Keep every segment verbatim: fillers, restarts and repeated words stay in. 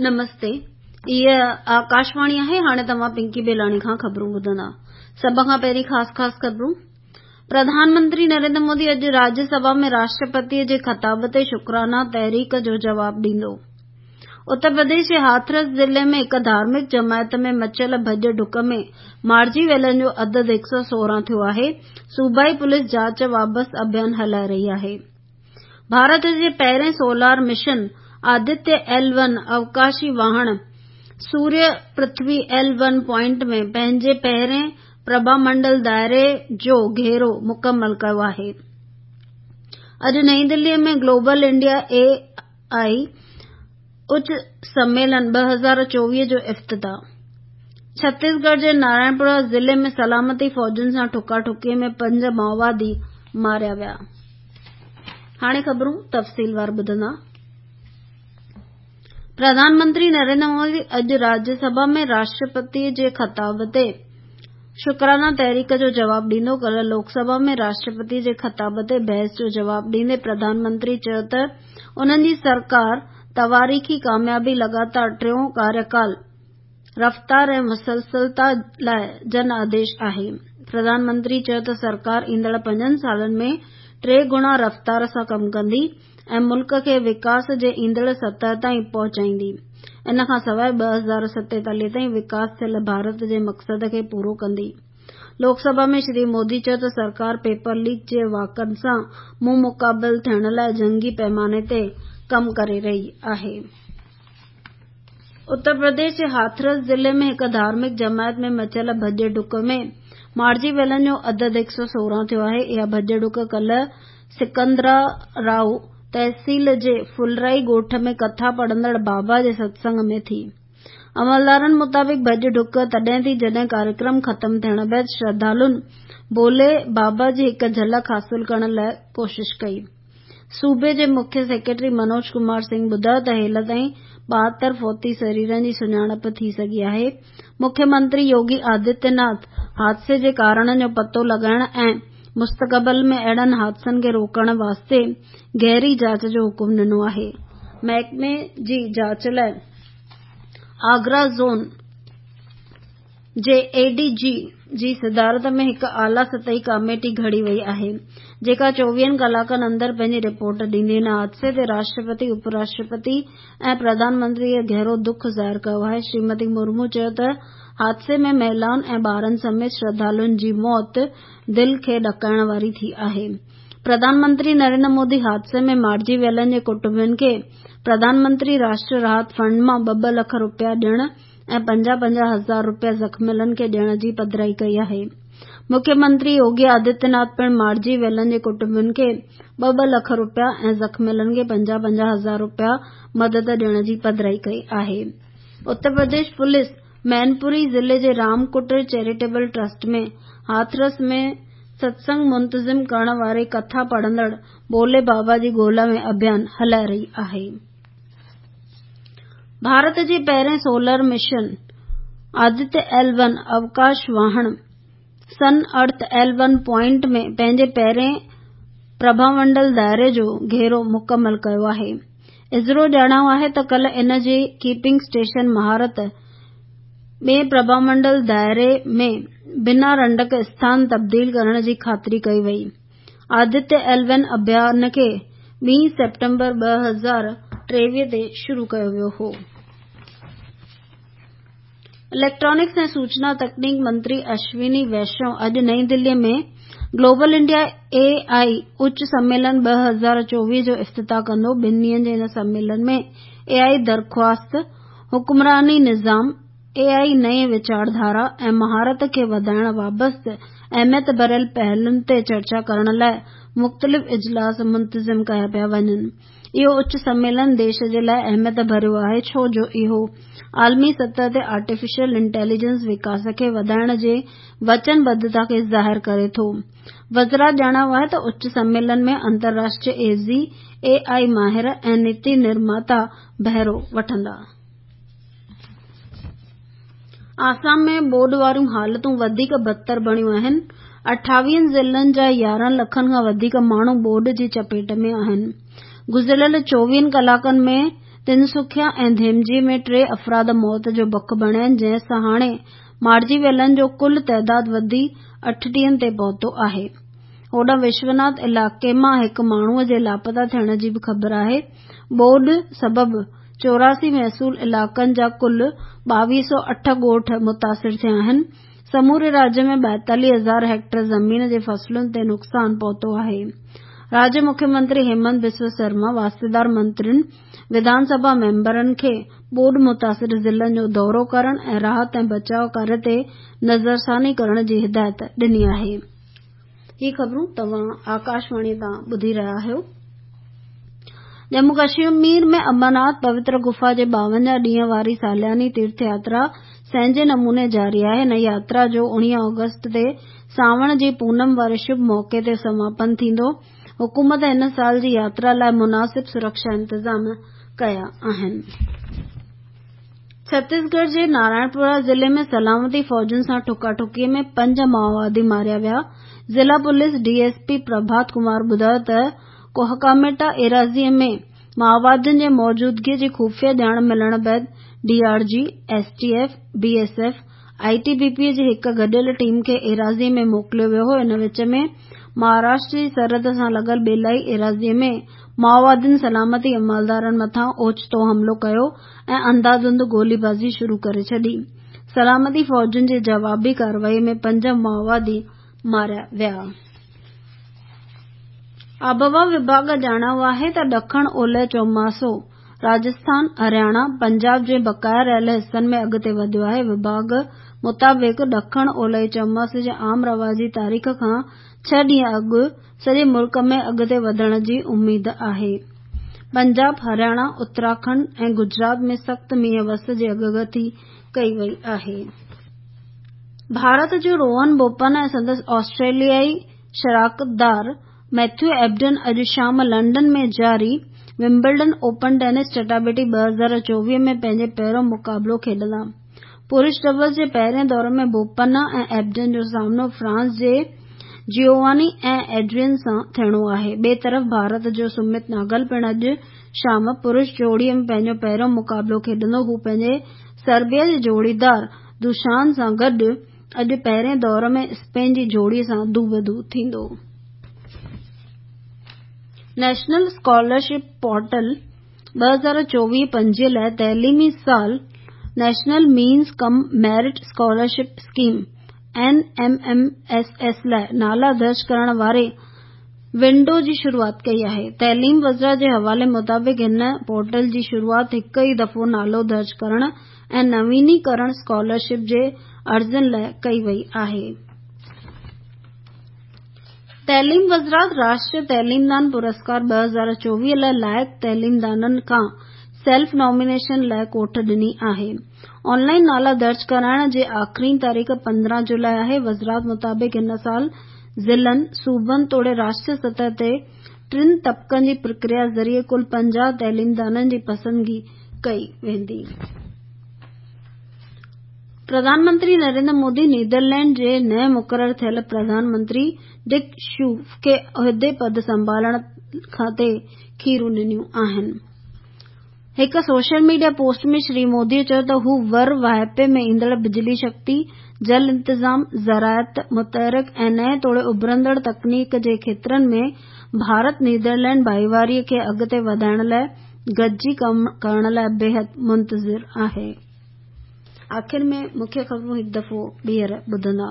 نمستي، هيء آڪاشواڻي آهي. هاڻي توهان پنڪي بيلاڻي کان خبرون ٻڌندا. سڀ کان پهرين خاص خاص خبرون. پرڌان منتري نريندر مودي اڄ راجيه سڀا ۾ راشٽرپتيء جي خطاب تي شڪرانا تحريڪ جو جواب ڏيندو. اتر پرديش جي هاٿرس ضلعي ۾ هڪ ڌارمڪ جماعت ۾ مچيل ڀڄ ڊڪ ۾ مارجي ويلن جو عدد هڪ سؤ سورهن ٿيو آهي. صوبائي پوليس جاچ بابت اڀيان هلائي رهي آهي. ڀارت جي پهرين solar mission Aditya L one اوڪاشي واهڻ سوريه پرٿوي ايل ون پوائنٽ ۾ پنهنجي پهرين پرڀامنڊل دائري جو گهيرو مڪمل ڪيو آهي. اڄ نئين دهليء ۾ گلوبل انڊيا اي آء اچ سميلن ٻه هزار چوويهه جو افتتاح. ڇتيسڳڙهه جي نارائڻپور ضلعي ۾ سلامتي فوجن سان ٺڪا ٺڪيء ۾ پنج مائووادي ماريا ويا. هاڻي خبرون تفصيلوار ٻڌندا. پرڌان منتري نريندر مودي اڄ راجيه سڀا ۾ راشٽرپتيء جي خطاب تي شڪرانا تحريڪ جو جواب ڏيندو. ڪالهه لوڪ سڀا ۾ راشٽرپتيء جي خطاب تي بحث جو جواب ڏيندي پرڌان منتري چيو ته انهن جي سرڪار تواريخي ڪاميابي، لڳاتار ٽيون ڪاريڪال، رفتار ۽ مسلسلتا لاء جن آديش آهي. پرڌان منتري چيو ته سرڪار ايندڙ پنجن سالن ۾ ٽي گڻا رفتار سان ڪم ڪندي ۽ ملڪ کي وڪاس جي ايندڙ سطح تائين پهچائيندي. ان کان سواء ٻه هزار ستيتاليهه تائين وڪاس ٿيل ڀارت جي مقصد کي پورو ڪندي. لوڪ سڀا ۾ شري مودي چيو ته سرڪار پيپر ليڪ جي واقعن سان منهن مقابل ٿيڻ لاء جنگي پيماني تي ڪم ڪري رهي آهي. اتر پرديش جي هاٿرس ضلعي ۾ هڪ ڌارمڪ جماعت ۾ مچيل ڀڄ ڊڪ ۾ مارجي ويلن جو عدد هڪ سؤ سورهن ٿيو آهي. اها ڀڄ ڊڪ ڪالهه سڪندرا رائو تحصيل جي ڦلرائي ڳوٺ ۾ ڪٿا پڙهندڙ بابا جي ستسنگ ۾ ٿي. عملدارن مطابق ڀڄ ڊڪ تڏهن ٿي جڏهن ڪاريڪرم ختم ٿيڻ بعد شرڌالن ڀولي بابا جي هڪ جهلڪ حاصل ڪرڻ لاء ڪوشش ڪئي. صوبي جي مکيه سيڪريٽري منوج ڪمار سنگهه ٻڌايو ته هيل تائين ٻاهتر فوتي سريرن جي سڃاڻپ ٿي سگهي آهي. مکيه منتري يوگي آدتيه ناٿ حادثي جي ڪارڻن جو پتو لڳائڻ ۽ مستقبل ۾ اهڙن حادثن کي روڪڻ واسطي گهري جاچ جو حڪم ڏنو آهي. محڪمي جي جاچ لاء آگرا زون جي اي ڊي جي جي صدارت ۾ هڪ اعليٰ سطحي ڪاميٽي گهڙي وئي آهي، جيڪا چوويهن ڪلاڪن اندر پنهنجي رپورٽ ڏيندي. هن حادثي تي راشٽرپتي، اپ راشٽرپتي ۽ پرڌان منتريء گهرو دک ظاهر ڪيو آهي. شريمتي مرمو چيو ته حادثي ۾ مهلائن ۽ ٻارن سميت شرڌالن جي موت دل کي ڏڪائڻ واري ٿي آهي. پرڌان منتري نريندر مودي حادثي ۾ مارجي ويلن جي ڪٽنبن کي پرڌان منتري راشٽر راحت فنڊ مان ٻه ٻه لک رپيا ڏيڻ ۽ پنجاهه پنجاهه هزار رپيا زخميلن کي ڏيڻ جي پڌرائي ڪئي آهي. مکيه منتري يوگي آدتيه ناٿ پڻ مارجي ويلن جي ڪٽنبن کي ٻه ٻه لک رپيا ۽ زخميلن کي پنجاهه پنجاهه هزار رپيا مدد ڏيڻ جي پڌرائي ڪئي آهي. اتر پرديش پوليس مينپوري ضلعي جي رام ڪٽير چيريٽيبل ٽرسٽ ۾ هاٿرس ۾ ستسنگ منتظم ڪرڻ واري ڪٿا پڙهندڙ ڀولي بابا جي ڳولا ۾ اڀيان هلائي رهي آهي. ڀارت جي پهرين solar mission Aditya L one اوڪاش واهڻ sun earth L one point ۾ پنهنجي پهرين پرڀامنڊل دائري جو گهيرو مڪمل ڪيو آهي. اسرو ڄاڻايو آهي ته ڪالهه ان جي ڪيپنگ اسٽيشن مهارت ٻئين پرڀامنڊل دائري ۾ بنا رنڊڪ اسٿان تبديل ڪرڻ جي خاطري ڪئي وئي. آدتيه ايل ون اڀيان کي ٻين سيپٽمبر ٻه هزار ٽيويهه تي شروع ڪيو ويو هو. اليڪٽرانڪس ۽ سوچنا تڪنيڪ منتري اشوني ويشنو اڄ نئين دهليء ۾ گلوبل انڊيا اي آء اچ سميلن ٻه هزار چوويهه جو افتتاح ڪندو. ٻن ڏينهن جي ان سميلن ۾ اي آء درخواست، حڪمراني نظام، اي آء نئين ويچارڌارا ۽ مهارت کي وڌائڻ بابت اهميت ڀريل پهلن تي چرچا ڪرڻ لاء مختلف اجلاس منتظم ڪيا پيا وڃن. اهو اچ سميلن ديش جي لاء اهميت ڀريو آهي ڇو جو اهو عالمي سطح تي آرٽيفيشل انٽيليجنس وڪاس کي وڌائڻ جي وچنبڌتا کي ظاهر ڪري ٿو. وزارت ڄاڻايو آهي ته اچ سميلن ۾ انترراشٽريه ايزي، اي آء ماهر ۽ نيتي نرماتا بهرو وٺندا. آسام ۾ ٻوڏ واريون حالتون وڌيڪ بدتر بڻيون آهن. اٺاويهن ضلعن جا يارهن لکن کان وڌيڪ ماڻهو ٻوڏ جي چپيٽ ۾ آهن. گذريل چوويهن ڪلاڪن ۾ تنسکيا ۽ ڌيمجي ۾ ٽي افراد موت جو بک بڻيا آهن، جنهن سان هاڻي مارجي ويلن جو ڪل تعداد وڌي اٺٽيهن تي پهتو آهي. هوڏانهن وشوناٿ علائقي مان هڪ ماڻهوءَ جي لاپتا ٿيڻ جي به خبر آهي. ٻوڏ سبب چوراسي محصول علائقن جا ڪل ٻاويهه سؤ اٺ ڳوٺ متاثر ٿيا آهن. سموري راجيه ۾ ٻائيتاليهه هزار هيڪٽر زمين جي فصلن تي نقصان پهتو آهي. راجيه مکيه منتري هيمنت بسوا سرما واسطيدار منترين، وڌان سڀا ميمبرن کي ٻوڏ متاثر ضلعن جو دورو ڪرڻ ۽ راحت ۽ بچاء ڪاريه تي نظرثاني ڪرڻ جي هدايت ڏني آهي. هي خبرون توهان آڪاشواڻي تان ٻڌي رهيا آهيو. ڄمون ڪشمير ۾ امرناٿ پوتر گفا جي ٻاونجاهه ڏينهن واري سالياني تيرٿ ياترا سهنجي نموني جاري آهي. هن ياترا جو اڻويهه آگسٽ تي سانوڻ جي پونم واري شڀ موقعي تي سماپن ٿيندو. حڪومت هن سال جي ياترا لاءِ مناسب سرڪشا انتظام ڪيا آهن. ڇتيسڳڙهه جي نارائڻپورا ضلعي ۾ سلامتي فوجن سان ٺڪاٺڪي ۾ پنج مائووادي ماريا ويا. ضلع police D S P Prabhat Kumar ٻڌايو ته ڪوهڪاميٽا ايراضيءَ ۾ مائووادين جي موجودگيءَ جي خفيه ڄاڻ ملڻ بعد D R G, S T F, B S F, I T B P جي هڪ گڏيل ٽيم کي ايراضيءَ ۾ موڪليو ويو هو. ان وچ ۾ مهاراشٽر جي سرحد سان لڳل ٻيلائي ايراضيءَ ۾ مائووادين سلامتي عملدارن مٿان اوچتو حملو ڪيو ۽ انڌاڌنڌ گوليبازي شروع ڪري ڇڏي. سلامتي فوجن جي جوابي ڪارروائي ۾ پنج مائووادي ماريا ويا. آبهوا وڀاڳ ڄاڻايو آهي ته ڏکڻ اولهه چوماسو راجسٿان، هرياڻا، پنجاب جي بقايا رهيل حصن ۾ اڳتي وڌيو آهي. وڀاڳ مطابق ڏکڻ اولهه چوماسي جي عام رواجي تاريخ کان ڇهه ڏينهن اڳ سڄي ملڪ ۾ اڳتي وڌڻ جي اميد آهي. پنجاب، هرياڻا، اتراکنڊ ۽ گجرات ۾ سخت مينهن وس جي اڳڪٿي ڪئي وئي آهي. ڀارت جو روهن بوپنا ۽ سندس آسٽريليائي شراڪتدار ميٿيو ايبڊن اڄ شام لنڊن ۾ جاري ومبلڊن اوپن ٽينس چٽاڀيٽي ٻه هزار چوويهه ۾ پنهنجي پهريون مقابلو کيڏندا. پرش ڊبلز جي پهرين دور ۾ بوپنا ۽ ايبڊن جو سامنو فرانس جي جيوواني ۽ ايڊرين سان ٿيڻو آهي. ٻئي طرف ڀارت جو سمت ناگل پڻ اڄ شام پرش جوڙي ۾ پنهنجو پهريون مقابلو کيڏندو. هو پنهنجي سربيا جي جوڙيدار دوشان سان گڏ اڄ پهرين دور ۾ اسپين جي جوڙي سان دوبدو ٿيندو. نيشنل اسڪالرشپ پورٽل ٻه هزار چوويهه پنجويهه لاءِ تعليمي سال national means cum merit scholarship scheme N M M S S لاءِ نالا درج ڪرڻ واري ونڊو جي شروعات ڪئي آهي. تعليم وزارت جي حوالي مطابق هن پورٽل جي شروعات هڪ ئي دفعو نالو درج ڪرڻ ۽ نوينيڪرڻ اسڪالرشپ جي عرضين لاءِ ڪئي وئي آهي. تعليم وزارت راشٽريه تعليمدان پرسڪار ٻه هزار چوويهه لاءِ لائق تعليمدانن کان سيلف نامينيشن لاءِ ڪوٺ ڏني آهي. آن لائن نالا درج ڪرائڻ جي آخرين تاريخ پندرهن جولاءِ آهي. وزارت مطابق هن سال ضلعن، صوبن توڙي راشٽريه سطح تي ٽن طبقن جي پرڪريا ذريعي ڪل پنجاهه تعليمدانن جي پسندگي ڪئي ويندي. پرڌان منتري نريندر مودي نيدرلينڊ جي نئين مقرر ٿيل پرڌان منتري ڊڪ شوف کي عهدي پد سنڀالڻ تي کيرون ڏنيون آهن. هڪ social media post ۾ Shri Modi چيو ته هو ور واهپي ۾ ايندڙ بجلي شڪتي، جل انتظام، زراعت، متحرڪ ۽ نئين توڙي اڀرندڙ تڪنيڪ جي کيترن ۾ ڀارت نيدرلينڊ ڀائيواري کي اڳتي وڌائڻ لاءِ گڏجي ڪم ڪرڻ لاءِ بيحد منتظر آهي. آخر ۾ مکيه خبرون هڪ دفعو ٻيهر ٻڌندا.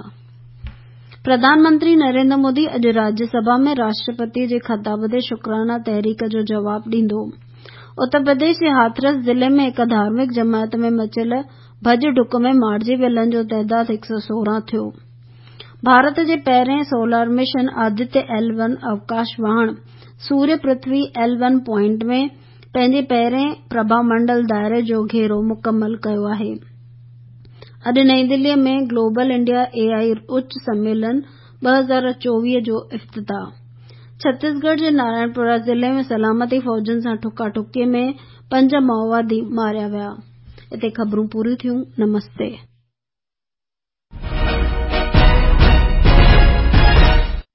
پرڌان منتري نريندر مودي اڄ راجيه سڀا ۾ راشٽرپتي جي خطاب تي شڪرانا تحريڪ جو جواب ڏيندو. اتر پرديش جي هاٿرس ضلعي ۾ هڪ ڌارمڪ جماعت ۾ مچيل ڀڄ ڊڪ ۾ مارجي ويلن جو تعداد هڪ سؤ سورهن ٿيو. ڀارت جي پهرين solar mission Aditya L one اوڪاش واهڻ سوريه پرٿوي ايل ون پوائنٽ ۾ پنهنجي پهرين پرڀا منڊل دائري جو گهيرو مڪمل ڪيو آهي. اڄ نئين دليءَ ۾ گلوبل انڊيا اي آئي اچ سميلن ٻه هزار چوويهه جو افتتاح. ڇتيسڳڙهه جي نارائڻپورا ضلعي ۾ سلامتي فوجن سان ٺڪاٺڪي ۾ پنج مائووادي ماريا ويا. هتي خبرون پوريون ٿيون. نمستي.